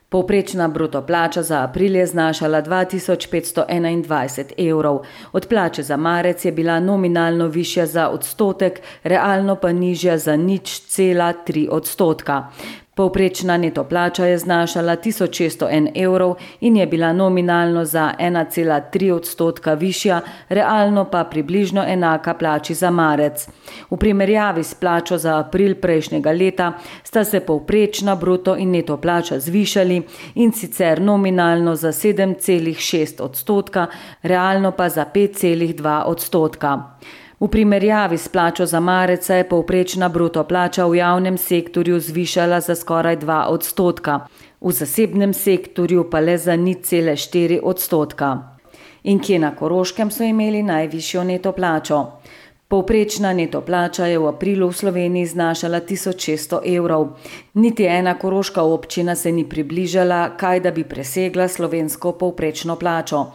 Povprečna bruto plača za april je znašala 2521 evrov. Od plače za marec je bila nominalno višja za odstotek, realno pa nižja za 0,3 odstotka. Povprečna neto plača je znašala 1601 evrov in je bila nominalno za 1,3 odstotka višja, realno pa približno enaka plači za marec. V primerjavi s plačo za april prejšnjega leta sta se povprečna bruto in neto plača zvišali, in sicer nominalno za 7,6 odstotka, realno pa za 5,2 odstotka. V primerjavi s plačo za marec se je povprečna bruto plača v javnem sektorju zvišala za skoraj 2 odstotka, v zasebnem sektorju pa le za 0,4 odstotka. In kje na Koroškem so imeli najvišjo neto plačo? Povprečna neto plača je v aprilu v Sloveniji znašala 1600 evrov. Niti ena koroška občina se ni približala, kaj da bi presegla slovensko povprečno plačo.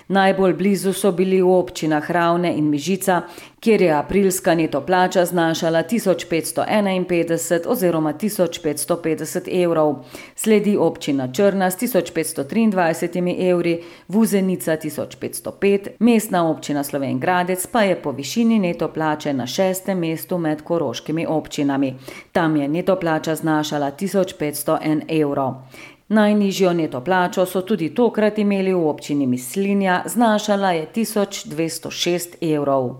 Najbolj blizu so bili v občinah Ravne in Mežica, kjer je aprilska neto plača znašala 1551 oziroma 1550 evrov. Sledi občina Črna s 1523 evri, Vuzenica 1505, mestna občina Slovenj Gradec pa je po višini neto plače na 6. mestu med koroškimi občinami. Tam je neto plača znašala 1501 evrov. Najnižjo neto plačo so tudi tokrat imeli v občini Mislinja, znašala je 1206 evrov.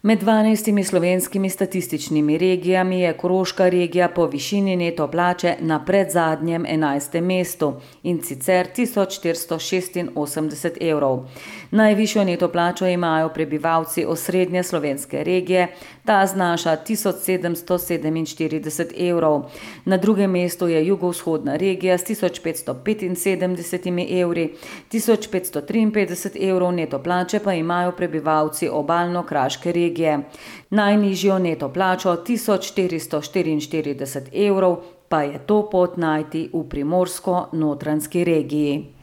Med 12 slovenskimi statističnimi regijami je Koroška regija po višini neto plače na predzadnjem 11. mestu, in sicer 1486 evrov. Najvišjo neto plačo imajo prebivalci osrednje slovenske regije, ta znaša 1747 evrov. Na drugem mestu je jugovzhodna regija s 1575 evri, 1553 evrov neto plače pa imajo prebivalci obalno-kraške regije. Najnižjo neto plačo 1444 evrov pa je to pot najti v Primorsko-notranjski regiji.